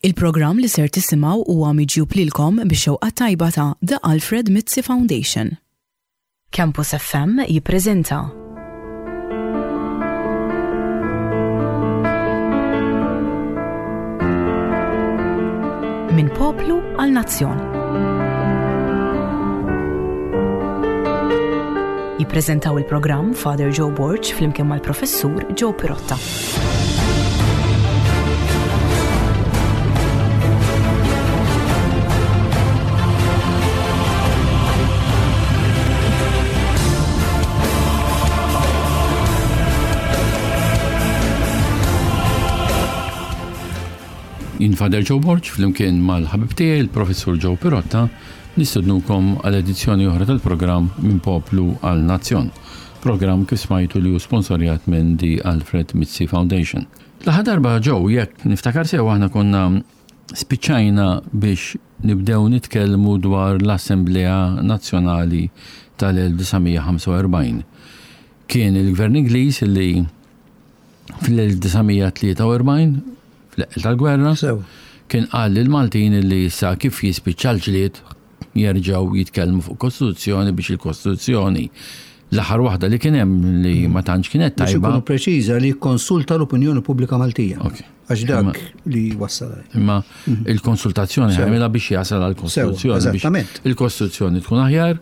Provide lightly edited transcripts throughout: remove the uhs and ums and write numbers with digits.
Il-programm li ser tisimgħu huwa miġjub lilkom bix-xewqa tajba ta' The Alfred Mizzi Foundation. Campus FM jippreżenta. Minn poplu għal nazzjon. Jippreżentaw il-programm Father Joe Borg flimkien mal-Professur Joe Pirotta. Jien Father Joe Borg flimkien mal-ħabib tiegħi il-Professur Joe Pirotta nistednukom għal edizzjoni oħra tal-programm Minn Poplu għal Nazzjon. Programm kif smajtu li hu sponsorjat minn The Alfred Mizzi Foundation. L-aħħar darba Joe, jekk niftakar sew aħna konna spiċċajna biex nibdew nitkellmu dwar l-Assemblea Nazzjonali tal-1945. Kien il-Gvern Ingliż li fl-1943, fl-eqqel tal-gwerra, kien qal lill-Maltin li issa kif jispiċċa l-ġlied jerġgħu jitkellmu fuq kostituzzjoni biex il-kostituzzjoni l-aħħar waħda li kien hemm li ma tantx kienet tajba. Biex ikunu preċiża li jikkonsulta l-opinjoni pubblika Maltija. Għax dak li wassal. Imma mhm. il-konsultazzjoni għamilha biex jasal għall-kostituzzjoni. Eżattament. Il-kostituzzjoni tkun aħjar.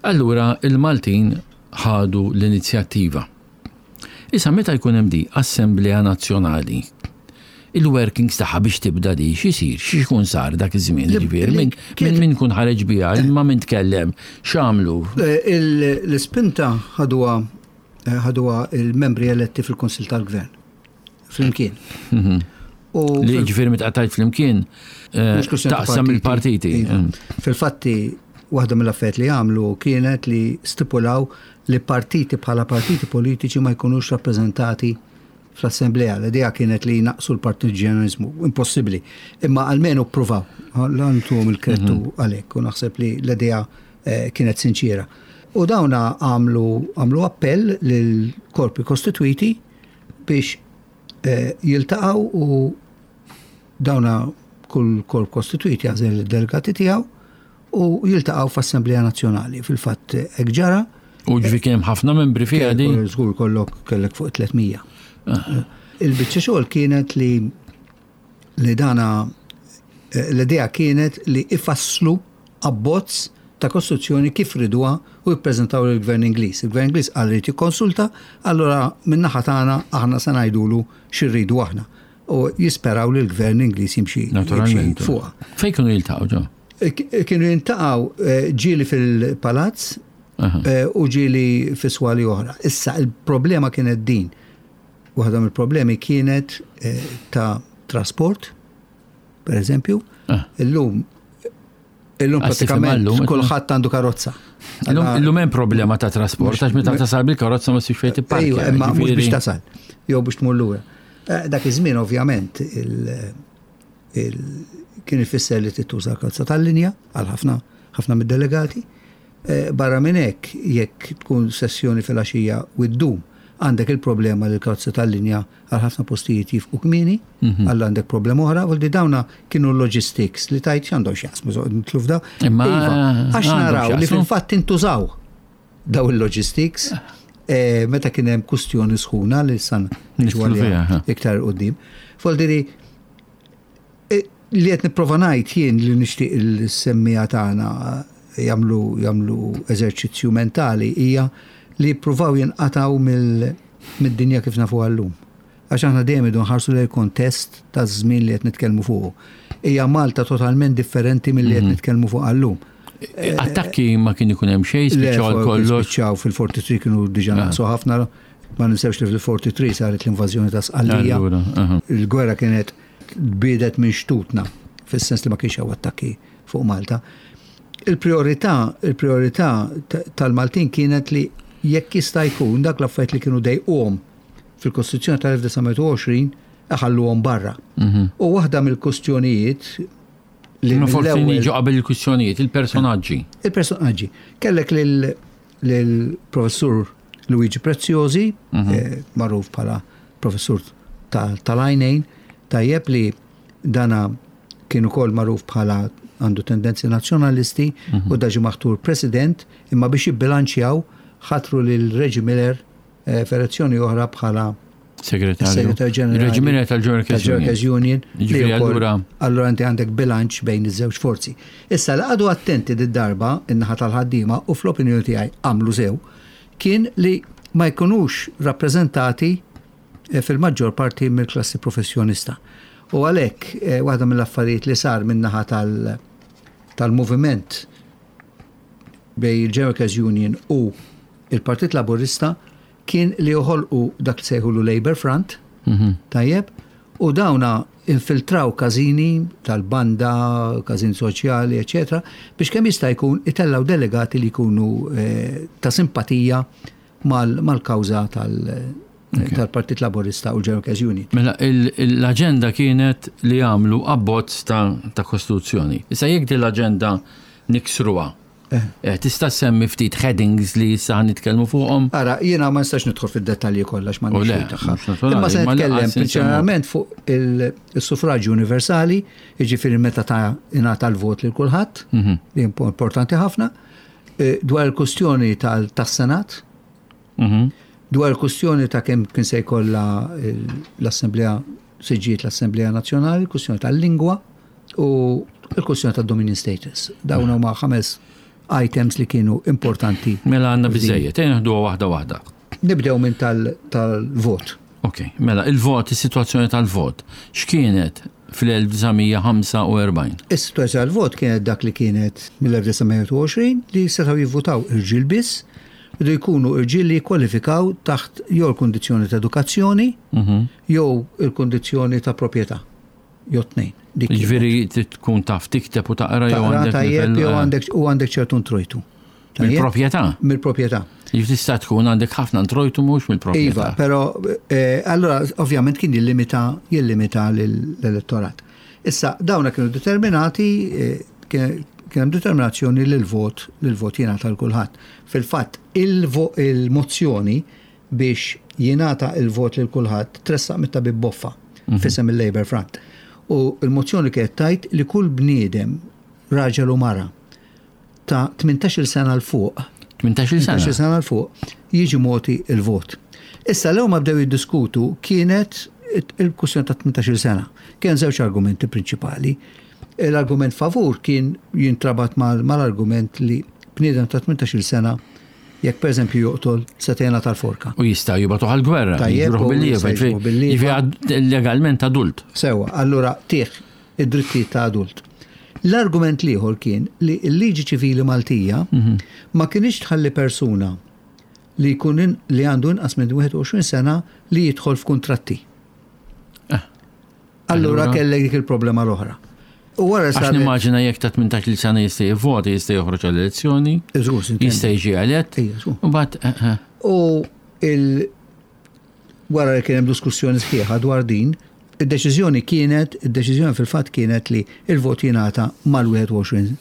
Allura il-Maltin ħadu l-inizjattiva. Issa meta jkun hemm di Assemblea Nazzjonali, il-workings tagħha biex tibda di x'isir, x'ikun sar dak iż-żmien, ġifieri minn min min kun ħareġ biha, ma min tkellem, x'għamlu. Eh, l-ispinta ħaduha eh, ħaduha il-membri eletti fil-Kunsill tal-Gvern. Flimkien. Mhm. Li ġifieri meta tajt flimkien eh, taqsam il-partiti. Iva. Mm. Fil-fatti, waħda mill-affarijiet li għamlu kienet li stipulaw li partiti bħala partiti politiċi ma jkunux rappreżentati fl-assemblea. L-idea kienet li jnaqsu l-partiġjanizmu, impossibbli. Imma almenu ppruvaw, lantuhom il-krettu mhm. għalhekk u naħseb li l-idea eh, kienet sinċiera. U dawna għamlu għamlu appell lil korpi kostitwiti biex eh, jiltaqgħu u dawna kull korp kostitwit jażel id-delegati tiegħu u jiltaqgħu f'Assemblea Nazzjonali. Fil-fatt hekk ġara. U ġifi kien hemm ħafna membri fiha di? Żgur kollok kellek fuq 300. Ah. Il-biċċa xogħol kienet li li dana eh, l-idea kienet li ifasslu abbozz ta' kostituzzjoni kif riduha u jippreżentaw lill-Gvern Ingliż. Il-Gvern Ingliż qal li jrid jikkonsulta, allura min-naħa tagħna aħna se ngħidulu xi rridu aħna. U jisperaw li l-Gvern Ingliż jimxi Naturalment. fuqha. Fejn kienu jiltaqgħu ġo? Eh, kienu jiltaqgħu eh, ġieli fil-palazz eh, u ġieli fi swali oħra. Issa il-problema kienet din. Waħda mill-problemi kienet ta' trasport, per eżempju, ah. illum illum pratikament kulħadd għandu karozza. Illum hemm problema ta' trasport, għax meta tasal bil-karozza ma ssibx fejn tipparkja. Ejwa, imma mhux biex tasal, jew biex tmur lura. Eh, dak iż-żmien ovvjament kien ifisser li tittuża karozza tal-linja għal ħafna ħafna mid-delegati. Eh, barra minn hekk, jekk tkun sessjoni fil-għaxija u ddum, għandek il-problema li l-karozza tal-linja għal ħafna postijiet jifqu kmieni, mhm. għal għandek problema oħra, u dawna kienu logistics li tajt x'għandhom x'jaqsmu nitlu f'da. Imma iva, għax naraw li fil-fatt intużaw daw il-logistics eh, meta kien hemm kustjoni sħuna li san iktar qudiem. Foldiri eh, li qed nipprova ngħid jien li nixtieq il-semmija tagħna jagħmlu jagħmlu eżerċizzju mentali hija li jippruvaw jinqatgħu mid-dinja kif nafuha llum. Għax aħna dejjem idu nħarsu lejn kontest taż-żmien li qed nitkellmu fuqu. Hija Malta totalment differenti milli qed mhm. nitkellmu fuqha llum. Attakki ma kien ikun hemm xejn, spiċċaw għal kollox. Spiċċaw fil-43 kienu diġà ah. naqsu ħafna, ma ninsewx li fil-43 saret l-invażjoni ta' Sqallija. Il-gwerra kienet tbiedet minn xtutna, fis-sens li ma kienx hawn attakki fuq Malta. Il-priorità, il-priorità tal-Maltin kienet li jekk jista' jkun dak l-affarijiet li kienu dejquhom fil-Kostituzzjoni tal-1920 iħalluhom barra. Mhm. U waħda mill-kustjonijiet li forsi niġu qabel il-kwistjonijiet, il-personaġġi. Il-personaġġi. Kellek lill-professur Luigi Preziosi, mhm. eh, magħruf bħala professur tal-għajnejn, tajjeb li dana kien ukoll magħruf bħala għandu tendenzi nazzjonalisti u da ġie maħtur president imma biex jibbilanċjaw ħatru lil Reggie Miller eh, f'elezzjoni oħra bħala Segretarju. Segretarju Ġenerali. Reggie Miller tal-Workers Union. Union. Ġifieri allura. Allura inti għandek bilanċ bejn iż-żewġ forzi. Issa li qagħdu attenti did-darba in-naħa tal-ħaddiema u fl-opinjoni tiegħi għamlu sew kien li ma jkunux rappreżentati eh, fil-maġġor parti mill-klassi professjonista. U għalhekk eh, waħda mill-affarijiet li sar min-naħa tal-moviment bejn il-General Workers Union u il-Partit Laburista kien li joħolqu dak li sejħulu Labour Front, mhm. tajjeb, u dawna infiltraw każini tal-banda, każini soċjali, eccetera, biex kemm jista' jkun itellaw delegati li jkunu eh, ta' simpatija mal-kawża tal-Partit Laburista u l-General Workers Union. Mela, l-aġenda kienet li jagħmlu abbozz ta' kostituzzjoni. Issa jekk din l-aġenda niksruha, eh. Eh, tista' semmi ftit headings li issa nitkellmu fuqhom? Ara, jiena ma nistax nidħol fid-dettalji kollha x'ma tagħha. Imma se nitkellem prinċipalment fuq il-suffraġġju universali, jiġifieri meta ta' ingħata l-vot lil kulħadd, mhm. li importanti ħafna, Eh, dwar il-kustjoni tas-Senat, mhm. dwar il-kustjoni ta' kemm kien se jkollha l-Assemblea siġġiet l-Assemblea Nazzjonali, kustjoni tal-lingwa u l-kustjoni tad-Dominion Status. Dawn huma ħames items li kienu importanti. Mela għandna biżejjed, ejja naħduha waħda waħda. Nibdew minn tal-vot. Ok, mela il-vot, is-sitwazzjoni tal-vot, x'kienet fl-1945? Is-sitwazzjoni tal-vot kienet dak li kienet mill-1921 li setgħu jivvutaw irġiel biss, li jkunu irġiel li jikkwalifikaw taħt jew il-kundizzjoni ta' edukazzjoni mhm. jew il-kundizzjoni ta' proprjetà. Jew tnejn. Ġifieri tkun taf tikteb u taqra jew għandek jew eh. għandek u għandek ċertu introjtu. Mill-proprjetà? Mill-proprjetà. Jif tista' tkun għandek ħafna introjtu mhux mill-proprjetà. Iva, però eh, allora ovvjament kien jillimita jillimita l-elettorat. Issa dawna kienu determinati eh, kien hemm determinazzjoni li l-vot li l-vot jingħata l kulħadd. Fil-fatt il-mozzjoni biex jingħata il-vot lil kulħadd tressaq mit-tabib Boffa mhm. fisem il-Labour Front. U l-mozzjoni kienet tajt li kull bniedem raġel u mara ta' 18-il sena 'l fuq, 18-il sena. 18-il sena 'l fuq, jiġi mogħti l-vot. Issa l ma bdew jiddiskutu kienet il-kwistjoni ta' 18-il sena. Kien żewġ argumenti prinċipali. L-argument favur kien jintrabat mal-argument li bniedem ta' 18-il sena jekk pereżempju joqtol se tgħinha tal-forka. U jista' jibgħatuh għall-gwerra, Tajjeb, bil-lieva, legalment adult. Sewa, allura tih id-drittijiet ta' adult. L-argument l-ieħor kien li l-liġi ċivili Maltija mhm. ma kinitx tħalli persuna li jkun li għandu inqas minn 21 sena li jidħol f'kuntratti. Eh. Allura kellek dik il-problema l-oħra. U wara Għax nimmaġina jekk ta' 18 sena jista' jivvota, jista' joħroġ għall-elezzjoni, jista' jiġi elett. U bat. Eh, eh. U il wara li kien hemm diskussjoni sħiħa dwar din, Id-deċiżjoni kienet, id-deċiżjoni fil-fatt kienet li il-vot jingħata mal-21.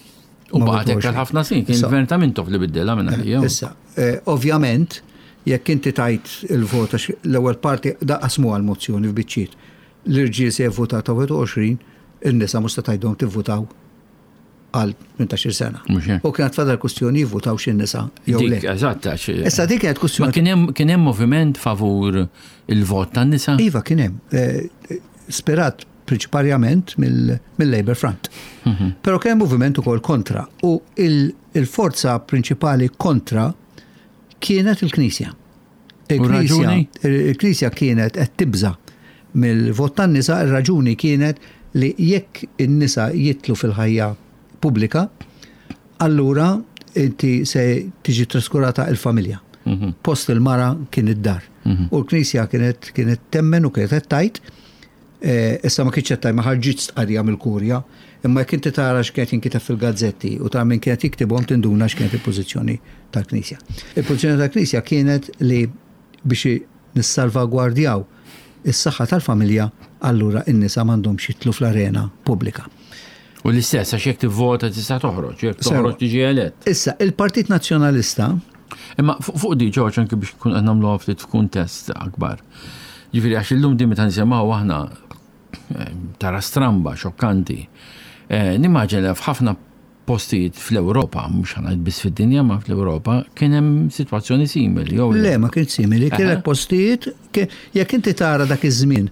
U baqgħet hekk għal ħafna snin, kien il-gvern ta' Mintoff li biddilha minn għalija. Issa, eh, ovvjament, jekk inti tajt il-vot għax l-ewwel parti daqasmu għal mozzjoni f'biċċiet. L-irġiel se jivvutaw ta' 21, in-nisa mhux se tgħidhom tivvutaw għal 18 sena. U kienet fadal kustjoni jivvutaw xi nisa jew le. Eżatt, Issa dik kienet kustjoni. Kien hemm moviment favur il-vot tan-nisa? Iva kien hemm. Eh, spirat prinċiparjament mill-Labour Front. Mhm. Però kien hemm moviment ukoll kontra u il-forza prinċipali kontra kienet il-Knisja. Il-Knisja kienet qed tibża' mill-vot tan-nisa, ir-raġuni kienet li jekk in-nisa jidħlu fil-ħajja pubblika, allura inti se tiġi traskurata il-familja. Mhm. Post il-mara kien id-dar. Mhm. U l-Knisja kienet kienet temmen u kienet qed tgħid Eh, issa ma kienx qed ma ħarġitx stqarrija mill-kurja, imma jekk inti tara x'kienet jinkiteb fil-gazzetti u tara min kienet jiktibhom tinduna x'kienet il-pożizzjoni tal-Knisja. Il-pożizzjoni tal-Knisja kienet li biex nissalvagwardjaw is-saħħa tal-familja, allura n-nisa m'għandhomx jidħlu fl-arena pubblika. U l-istess, għax jekk tivvota tista' toħroġ, jekk toħroġ tiġi elett. Issa, il-Partit Nazzjonalista. Imma fuq di Ġorġ anke biex kun qed nagħmluha ftit f'kuntest akbar. Ġifieri għax illum din meta nisimgħu aħna eh, tara stramba, xokkanti. Nimmaġina f'ħafna postijiet fl-Ewropa, mhux ħa ngħid biss fid-dinja ma fl-Ewropa, kien hemm sitwazzjoni simili jew le? Ma kienx simili, kellek postijiet, jekk inti tara dak iż-żmien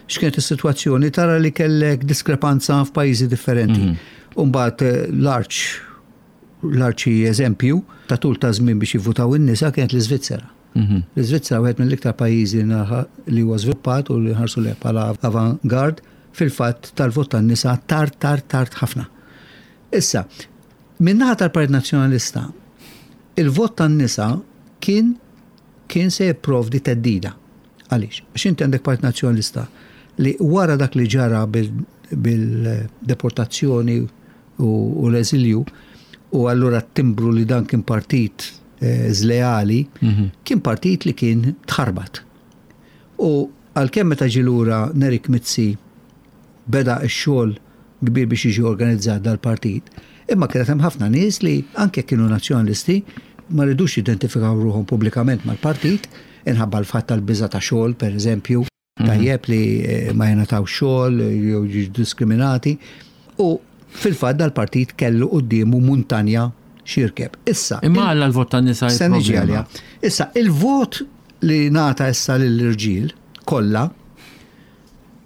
x'kienet is-sitwazzjoni, tara li kellek diskrepanza f'pajjiżi differenti. U mbagħad l-arċ l-arċi eżempju ta' tul ta' żmien biex jivvutaw in-nisa kienet l-Iżvizzera. L-Iżvizzera wieħed mill-iktar pajjiżi li huwa żviluppat u li nħarsu lejh bħala avant-garde fil-fatt tal-vot tan-nisa tard tard tard ħafna. Issa, min-naħa tal-Partit Nazzjonalista, il-vot tan-nisa kien kien se jipprovdi theddida. Għaliex? Għax inti għandek Partit Nazzjonalista li wara dak li ġara bil-deportazzjoni u l-eżilju u allura t-timbru li dan kien partit żleali, kien partit li kien tħarbat. U għalkemm meta ġie lura Nerik Mizzi beda x-xogħol kbir biex jiġi organizzat dal-partit, imma kienet hemm ħafna nies li anke jekk kienu nazzjonalisti ma ridux jidentifikaw ruħhom pubblikament mal-partit inħabba l-fatt tal-biża' ta' xogħol, pereżempju. Tajjeb li ma jingħatawx xogħol jew jiġu diskriminati. U fil-fatt dal-partit kellu quddiemu muntanja x'jirkeb. Issa. Imma għalla l-vot tan-nisa Se niġi għaliha. Issa, il-vot li ngħata issa lill-irġiel kollha,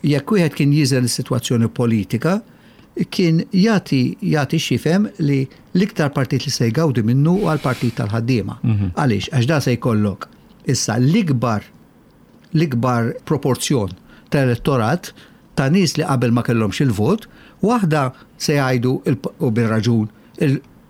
jekk wieħed kien jiżen is-sitwazzjoni politika, kien jagħti jagħti x'jifhem li l-iktar partit li se jgawdi minnu huwa l-partit tal-ħaddiema. Għaliex? Għax da se jkollok issa l-ikbar l-ikbar proporzjon ta' elettorat ta' nies li qabel ma kellhomx il-vot, waħda se jgħidu u bir-raġun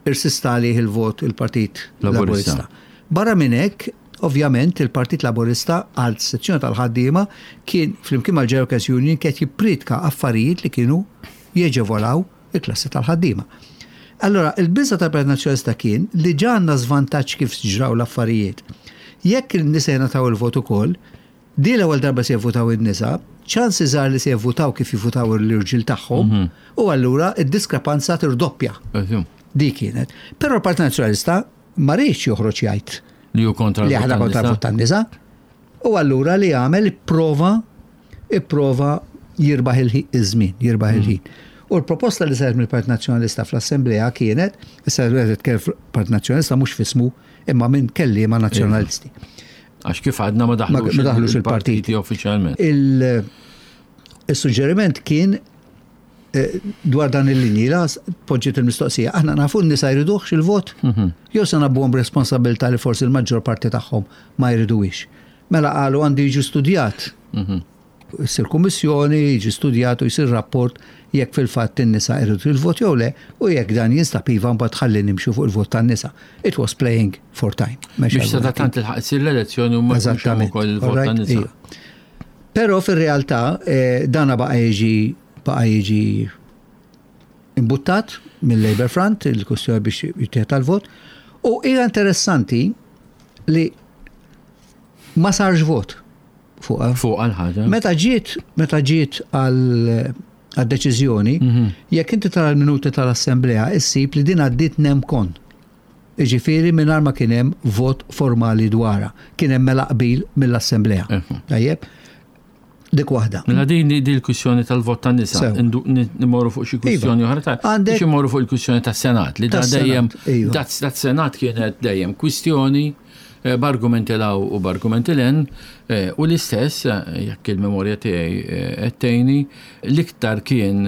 irsista għalih il-vot il-Partit Laburista. Barra minn hekk, ovvjament il-Partit Laburista għal sezzjoni tal-ħaddiema kien flimkien mal-General Workers Union kien jippriedka affarijiet li kienu jeġevolaw il-klassi tal-ħaddiema. Allora, il-biża' tal-Partit Nazzjonalista kien li ġa għandna żvantaġġ kif ġraw l-affarijiet. Jekk in-nisa jingħataw il-vot ukoll, di l-ewwel darba se jivvutaw in-nisa, ċans iżgħar li se jivvutaw kif jivvutaw l-irġiel tagħhom, u allura d-diskrepanza tirdoppja. Di kienet. Però l-Partit Nazzjonalista ma riedx joħroġ jgħid li hu kontra li aħna kontra l-vot tan-nisa. U allura li għamel ipprova ipprova jirbaħ iż-żmien, jirbaħ il-ħin. U l-proposta li saret mill-Partit Nazzjonalista fl-Assemblea kienet, issa qed nitkellem Partit Nazzjonalista mhux f'ismu, imma minn kelliema Nazzjonalisti. Għax kif għadna ma daħlux il-partiti uffiċjalment. Il-suġġeriment kien dwar dan il-linji, la poġġiet il-mistoqsija, aħna nafu n-nisa jriduhx il-vot? Jew se nabbuhom b'responsabilità li forsi l-maġġor parti tagħhom ma jriduhiex. Mela qalu għandu jiġi studjat. Issir kummissjoni, jiġi studjat u jsir rapport jekk fil-fatt in-nisa jridu il-vot jew le, u jekk dan jinstab iva mbagħad ħalli nimxu fuq il-vot tan-nisa. It was playing for time. Biex sadattant tilħaq issir l-elezzjoni u ma jkunx hemm ukoll il-vot tan-nisa. Però fir-realtà dana baqa' jiġi baqa' jiġi imbuttat mill-Labour Front, il-kwestjoni biex jittieħed għal-vot. U hija interessanti li ma sarx vot fuqha. Fuq għal-ħaġa. Meta ġiet, meta ġiet għal-deċiżjoni, jekk inti tara l-minuti tal-Assemblea, issib li din għaddiet nem con. Jiġifieri mingħajr ma kien hemm vot formali dwarha. Kien hemm mela qbil mill-Assemblea. Tajjeb? Dik waħda. Mela din di l-kwistjoni tal-vot tan-nisa. Nimorru fuq xi kwistjoni oħra ta' biex imorru fuq il-kwistjoni tas-Senat li da dejjem dat Senat kienet dejjem kwistjoni b'argumenti 'l hawn u b'argumenti 'l hemm u l-istess jekk il-memorja tiegħi qed tgħinni l-iktar kien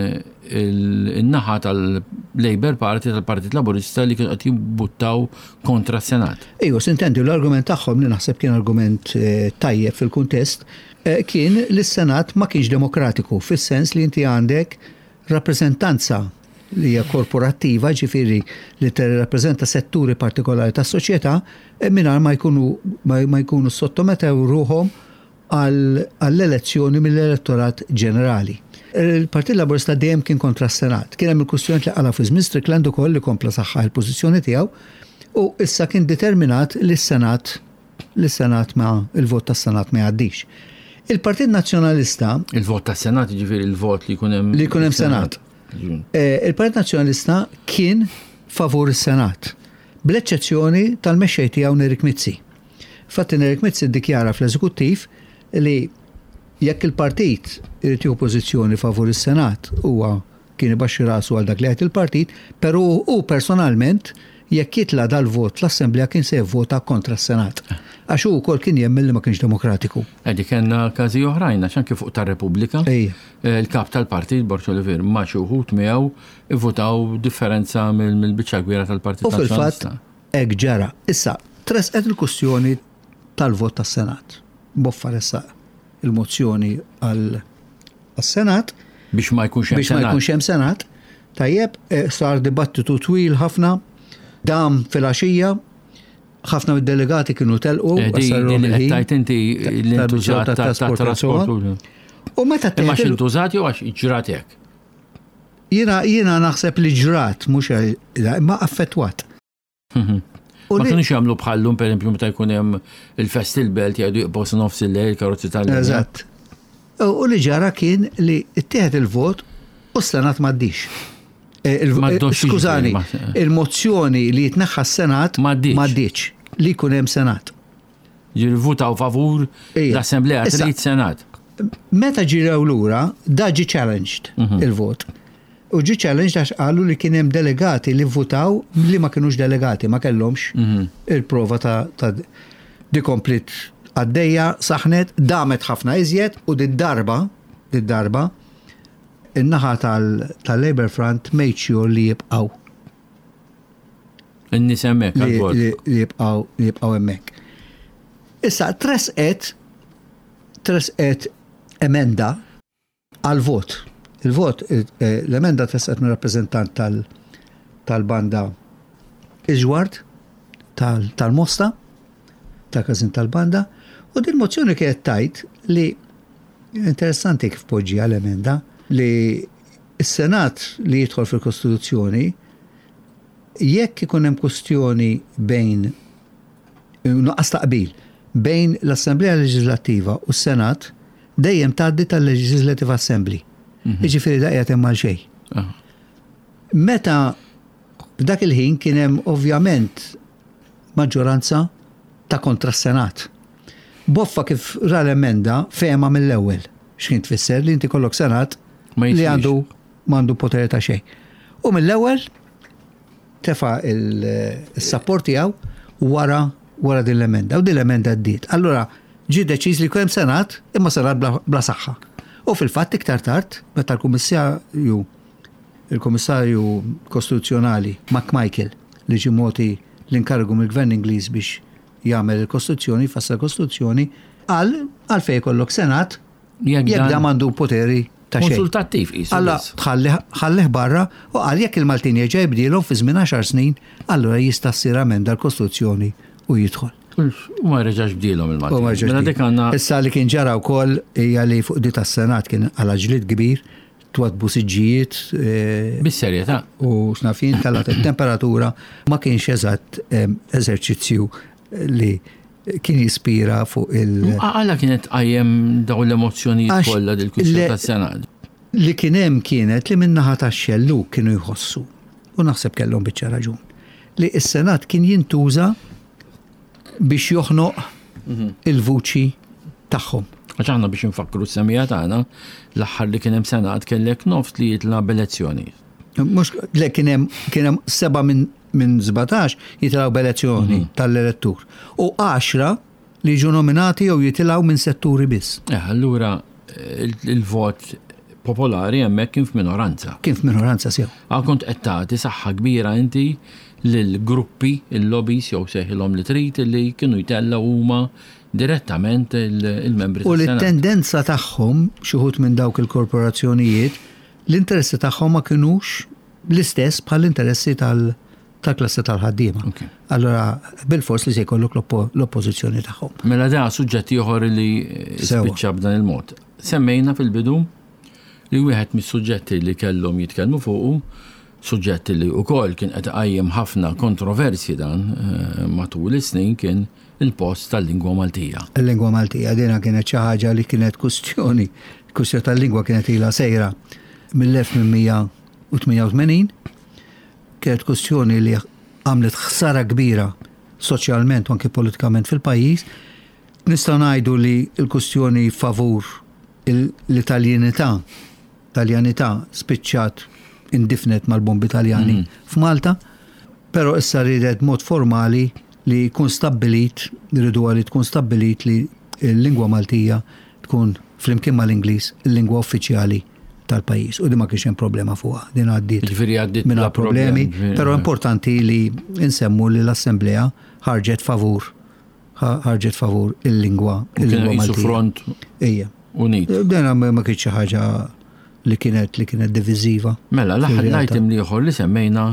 in-naħa tal-Labour Party tal-Partit Laburista li kienu qed jimbuttaw kontra s-Senat. Ejju, sintendi l-argument tagħhom li naħseb kien argument tajjeb fil-kuntest kien li s-Senat ma kienx demokratiku fis-sens li inti għandek rappreżentanza li hija korporattiva, ġifieri li tirrappreżenta setturi partikolari tas-soċjetà mingħajr ma jkunu ma jkunu ssottometew ruħhom għall-elezzjoni mill-elettorat ġenerali. Il-Partit Laburista dejjem kien kontra s-Senat. Kien hemm il-kwistjonijiet li qala' fi żmien Strickland ukoll li kompla saħħaħ il-pożizzjoni tiegħu u issa kien determinat li s-Senat li s-Senat ma il-vot tas-Senat ma jgħaddix. Il-Partit Nazzjonalista Il-vot tas-Senat jiġifieri il-vot li jkun hemm li jkun hemm Senat. Il-Partit Nazzjonalista kien favur is-Senat, bl-eċċezzjoni tal-mexxej tiegħu Nerik Mizzi. Infatti Nerik Mizzi ddikjara fl-Eżekuttiv li jekk il-partit irid jieħu pożizzjoni favur is-Senat huwa kien ibaxxi rasu għal dak li jgħid il-partit, però hu personalment jekk jitla' dal-vot l-Assemblea kien se jivvota kontra s-Senat. Għax hu wkoll kien jemmen li ma kienx demokratiku. Edi kellna każi oħrajn għax anke fuq tar-Repubblika, il-kap tal-partit Borg Olivier ma' xi wħud miegħu ivvutaw differenza mill-biċċa kbira tal-Partit U fil-fatt hekk ġara. Issa, tressqet il-kwistjoni tal-vot tas-Senat. Boffa ressaq il-mozzjoni għas-Senat. Biex ma jkunx hemm Biex ma jkunx hemm Senat. Tajjeb, eh, sar dibattitu twil ħafna, dam fil-għaxija, ħafna mid-delegati kienu telqu. Eh, tajt inti l-intużat ta' trasport. U meta Imma x'intużat jew għax ġrat hekk? Jiena jiena naħseb li ġrat mhux imma affettwat. Mhm. Ma kienux jagħmlu bħallum pereżempju meta jkun hemm il-fest il-belt jgħidu jqbgħu sa nofs il-lejl karozzi tal Eżatt. U li ġara kien li ttieħed il-vot u s-Senat m'għaddix. Eh, eh, skużani, il-mozzjoni li jitneħħa s-Senat m'għaddix li jkun hemm Senat. Jirvutaw favur l-Assemblea trid Senat. Meta ġirew lura, da ġi challenged mhm. il-vot. U ġi challenged għax qalu li kien hemm delegati li votaw li ma kinux delegati, ma kellhomx mhm. il-prova ta' di komplit għaddejja, saħnet, damet ħafna iżjed u di darba, di darba, in-naħa tal-Labour Front made sure li jibqaw. In-nies hemmhekk għall-vot. Li jibqgħu li jibqgħu hemmhekk. Issa tresqet tresqet emenda għall-vot. Il-vot, eh, l-emenda tresqet minn rappreżentant tal-banda Iġward tal-Mosta, tal-każin tal-banda, u din mozzjoni kienet tajt li interessanti kif poġġi l-emenda li s-Senat li jidħol fil-Kostituzzjoni Jekk ikun hemm kwistjoni bejn nuqqas ta' qbil bejn l-Assemblea Leġiżlattiva u s-Senat, dejjem tgħaddi tal-Legislative Assembly. Mhm. Jiġifieri da qiegħed hemm għal xejn. Meta f'dak il-ħin kien hemm ovvjament maġġoranza ta' kontra s-Senat. Boffa kif ra l-emenda fehma mill-ewwel x'kien tfisser li inti kollok Senat li għandu M'għandu poter ta' xejn. U mill-ewwel tefa' il-sapport tiegħu wara wara din l-emenda. U din l-emenda għaddiet. Allura ġie deċiż li jkun hemm senat, imma senat bla, bla saħħa. U fil-fatt iktar tard, meta l-Kummissarju il-Kummissarju Kostituzzjonali McMichael li ġie mogħti l-inkarigu mill-Gvern Ingliż biex jagħmel il-Kostituzzjoni, jfassal il-Kostituzzjoni, qal għalfejn ikollok senat Jekk dan m'għandu poteri ta' xejn. Konsultattiv qisu. Alla ħallih barra u qal jekk il-Maltin jerġa' jibdielhom fi żmien għaxar snin, allura jista' ssir amenda l-Kostituzzjoni u jidħol. U ma reġax bdielhom il-Maltin. Mela dik għandna. Issa li kien ġara wkoll hija li fuq di tas-Senat kien għala ġlied kbir twadbu siġġijiet. Eh, Bis-serjetà. U x'naf jien telgħet it-temperatura ma kienx eżatt eh, eżerċizzju li kien jispira fuq il- Għala kienet tqajjem dawn l-emozzjonijiet kollha dil-kwistjoni tas-Senat? Li kien hemm kienet li min-naħa tax-xellug kienu jħossu, u naħseb kellhom biċċa raġun, li s-Senat kien jintuża biex joħnoq mhm. il-vuċi tagħhom. Għax aħna biex nfakkru s-semija tagħna, l-aħħar li kien hemm Senat kellek nofs li jitla' b'elezzjoni. Mhux le kien hemm kien hemm seba' minn minn 17 jitilgħu b'elezzjoni mhm. tal-elettur u 10 li jiġu nominati jew jitilgħu minn setturi biss. Eh, allura il-vot popolari hemmhekk kien f'minoranza. Kien f'minoranza sew. Għal kont qed tagħti saħħa kbira inti lil gruppi, il-lobbies jew seħilhom li trid li kienu jtellgħu huma direttament il-membri. U li t-tendenza tagħhom xi wħud minn dawk il-korporazzjonijiet l-interessi tagħhom ma kinux l-istess bħall-interessi tal-klassi tal-ħaddiema. Allura bilfors li se jkollok l-oppożizzjoni tagħhom. Mela da suġġett ieħor li spiċċa b'dan il-mod. Semmejna fil-bidu li wieħed mis-suġġetti li kellhom jitkellmu fuqu, suġġett li wkoll kien qed iqajjem ħafna kontroversji dan eh, matul is-snin kien il-post tal-lingwa Maltija. Il-lingwa Maltija dina kienet xi ħaġa li kienet kustjoni, kustjoni tal-lingwa kienet ilha sejra mill-1800 u 88 kienet kwestjoni li għamlet ħsara kbira soċjalment u anke politikament fil-pajjiż. Nistgħu ngħidu li l-kwestjoni favur l-Italjenità, Taljanità spiċċat indifnet mal-bombi Taljani f'Malta, però issa riedet mod formali li jkun stabbilit, riduha li tkun stabbilit li l-lingwa Maltija tkun flimkien mal-Ingliż il-lingwa uffiċjali tal-pajjiż. U di ma kienx hemm problema fuqha, din għaddiet. Ġifieri għaddiet mingħajr problemi, però importanti li nsemmu li l-Assemblea ħarġet favur ħarġet favur il-lingwa il-lingwa Maltija. front Ejja. Unit. Dan ma kienx xi ħaġa li kienet li kienet diviżiva. Mela, l-aħħar item li ieħor li semmejna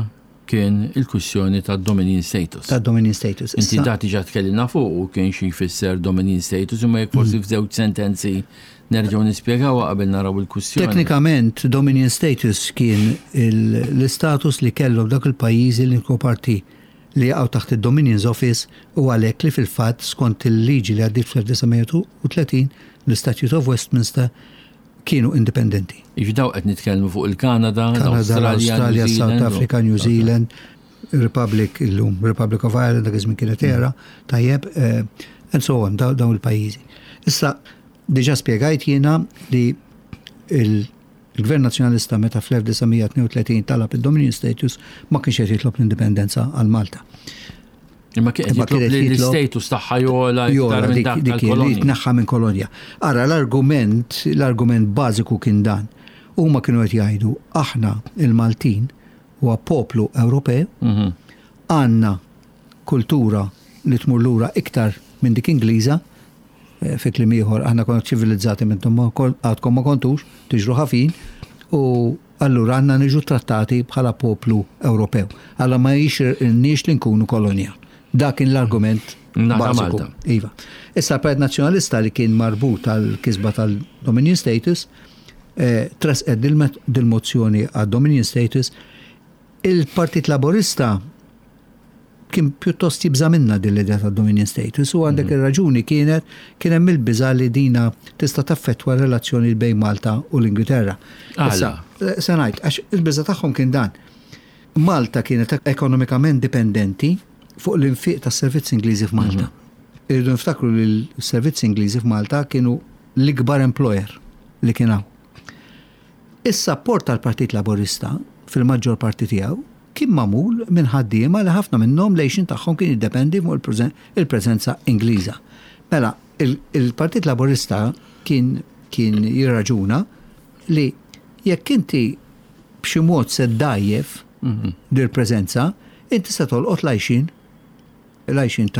kien il-kwistjoni ta' dominion status. Ta' dominion status. Inti da diġà tkellimna fuq u kien xi jfisser dominion status imma jekk forsi f'żewġ sentenzi nerġgħu nispjegawha qabel naraw il-kwistjoni. Teknikament dominion status kien l-istatus li kellhom dak il-pajjiżi li kienu parti li jaqgħu taħt id-Dominions Office u għalhekk li fil-fatt skont il-liġi li għaddiet fl-1930 l-Statute of Westminster kienu indipendenti. Jiġifieri dawn qed nitkellmu fuq il-Kanada, Kanada, l-Awstralja, South Africa, New Zealand, Republic illum, Republic of Ireland, dak iż-żmien kienet era, tajjeb, eh, and so on, dawn il-pajjiżi. Issa, diġà spjegajt jiena li il-Gvern Nazzjonalista meta fl-1932 talab il-Dominion Status ma kienx qed jitlob l-indipendenza għal Malta. Imma kien qed jitlob li l-istatus tagħha jogħla iktar minn dak tal-kolonja. Jitneħħa minn kolonja. Ara l-argument, l-argument bażiku kien dan. Huma kienu qed jgħidu aħna il-Maltin huwa poplu Ewropew, mhm. għandna kultura li tmur lura iktar minn dik Ingliża, eh, fi kliem ieħor aħna konna ċivilizzati minnhom għadkom ma kontux, tiġru ħafin, u allura għandna niġu trattati bħala poplu Ewropew. Alla ma jixirqilniex li nkunu kolonja. Dak kien l-argument bażiku. Iva. Issa l-Partit Nazzjonalista li kien marbut għal kisba tal-Dominion Status, eh, tressqet dil-mozzjoni għad-Dominion Status, il-Partit Laburista kien pjuttost jibża' minnha din l-idea ta' dominion status u għandek mhm. ir-raġuni kienet kien hemm il-biża' li dina tista' taffettwa r-relazzjoni bejn Malta u l-Ingilterra. Issa, eh, se ngħid, għax il-biża' tagħhom kien dan. Malta kienet ekonomikament dipendenti fuq l-infiq tas-servizzi Ingliżi f'Malta. Mhm. Irridu niftakru li l-servizzi Ingliżi f'Malta kienu l-ikbar employer li kien hawn. Is-sapport tal-Partit Laburista fil-maġġor parti tiegħu kien magħmul minn ħaddiema li ħafna minnhom l-għixien tagħhom kien jiddependi fuq il-preżenza Ingliża. Mela, il-Partit Laburista kien kien jirraġuna li jekk inti b'xi mod se ddgħajjef dil-preżenza, inti se tolqot l-għajxien l-għajxien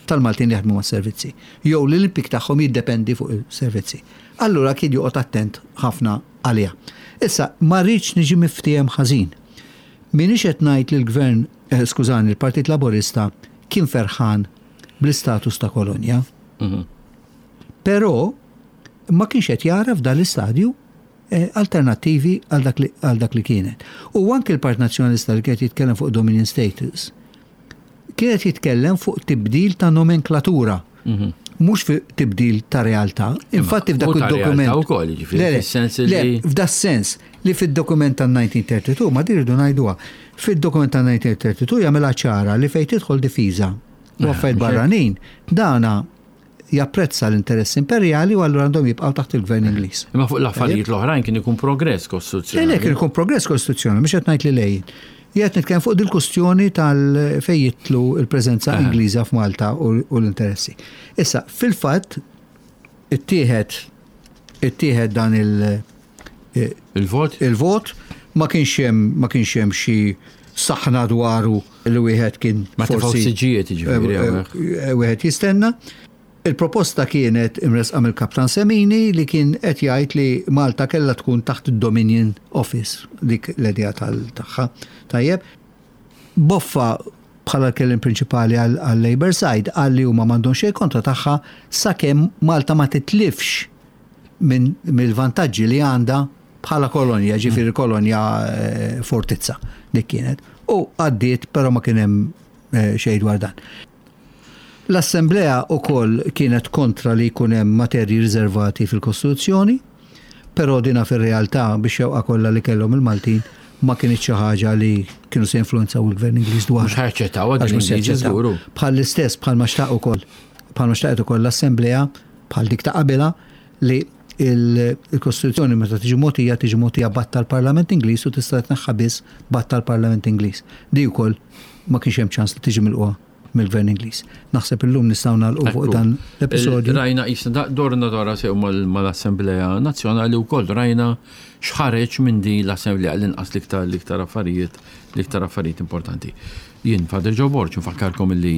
tal-Maltin li jaħdmu mas-servizzi, jew li l-impjieg tagħhom jiddependi fuq is-servizzi. Allura kien joqgħod attent ħafna għaliha. Issa, ma rridx niġi miftiehem ħażin. M'iniex qed ngħid li l-Gvern, eh, skużani, il-Partit Laburista kien ferħan bl-istatus ta' kolonja. Mhm. Però ma kienx qed jara f'dan l-istadju eh, alternattivi għal dak li kienet. U anke l-Partit Nazzjonalista li kienet jitkellem fuq Dominion Status, kien qed jitkellem fuq tibdil ta' nomenklatura. Mhm. Mhux fi tibdil ta' realtà. Infatti f'dak il-dokument. Ukoll, jiġifieri, fis-sens li. F'da sens li fid-dokument tan-1932 ma dirdu ngħiduha. Fid-dokument tan-1932 jagħmilha ċara li fejn tidħol difiża u eh, affarijiet barranin, dana japprezza l-interess imperjali u allura għandhom jibqgħu taħt il-gvern Ingliż. Imma fuq l-affarijiet l-oħrajn kien ikun progress kostituzzjonali. Le, kien ikun progress kostituzzjonali, mhux qed ngħid li lejn. Jgħid nitkellem fuq dil-kustjoni tal fejn jitlu il-preżenza Ingliża f'Malta u l-interessi. Issa, fil-fatt, ittieħed ittieħed dan il- eh, Il-vot? Il-vot ma kienx hemm ma kienx hemm xi saħna dwaru li wieħed kien ma forsi siġijiet jiġifieri eh, eh, wieħed jistenna. Il-proposta kienet imresqa mill-Kaptan Semini li kien qed jgħid li Malta kellha tkun taħt id-Dominion Office dik l-idea tal-tagħha. Tajjeb. Boffa bħala l-kelliem prinċipali għal-Labour side qal li huma m'għandhom xejn kontra tagħha sakemm Malta ma titlifx minn mill-vantaġġi li għandha bħala kolonja, ġifieri kolonja eh, fortizza dik kienet. U għaddiet, però ma kien hemm eh, xejn dwar dan. L-Assemblea wkoll kienet kontra li jkun hemm materji riservati fil-Kostituzzjoni, però dina fir-realtà biex xewqa kollha li kellhom il-Maltin ma kinitx xi ħaġa li kienu se jinfluwenzaw il-Gvern Ingliż dwar. Mhux ħajaċċettawha din l-Ingliżi żguru. Bħall-istess bħalma xtaq ukoll bħalma xtaqet ukoll l-Assemblea bħal dik ta' qabilha li Il-Kostituzzjoni meta tiġi mogħtija tiġi mogħtija b'att tal-Parlament Ingliż u tista' titneħħa biss b'att tal-Parlament Ingliż. Di wkoll ma kienx hemm ċans li tiġi milqugħa mill-Gvern Ingliż. Naħseb illum nistgħu nagħlqu fuq dan l-episodju. Rajna qisna dorna dora sew mal-Assemblea Nazzjonali wkoll rajna x'ħareġ minn din l-Assemblea l-inqas l-iktar l-iktar affarijiet l-iktar affarijiet importanti. Jien Father Joe Borg nfakkarkom li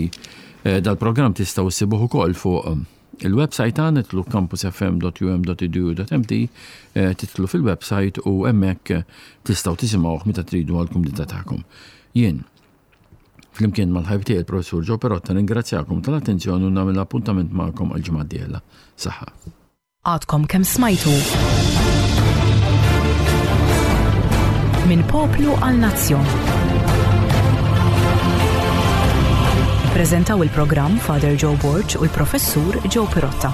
eh, dal-programm tistgħu ssibuh ukoll fuq eh, il-website tagħna titlu campusfm.um.edu.mt eh, titlu fil-website u hemmhekk tistgħu tisimgħuh meta tridu għall-kumdità tagħkom. Jien Flimkien mal-ħabib tiegħi il-Professur Joe Perotta ningrazzjakom tal-attenzjoni u nagħmel appuntament magħkom għall-ġimgħa d-dieħla. Saħħa. Għadkom kemm smajtu Minn Poplu għal Nazzjon. Ippreżentaw il-programm Father Joe Borg u l-Professur Joe Pirotta.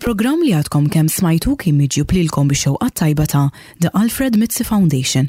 Il-programm li għadkom kemm smajtu kien miġjub lilkom bix-xewqat tajba ta' The Alfred Mizzi Foundation.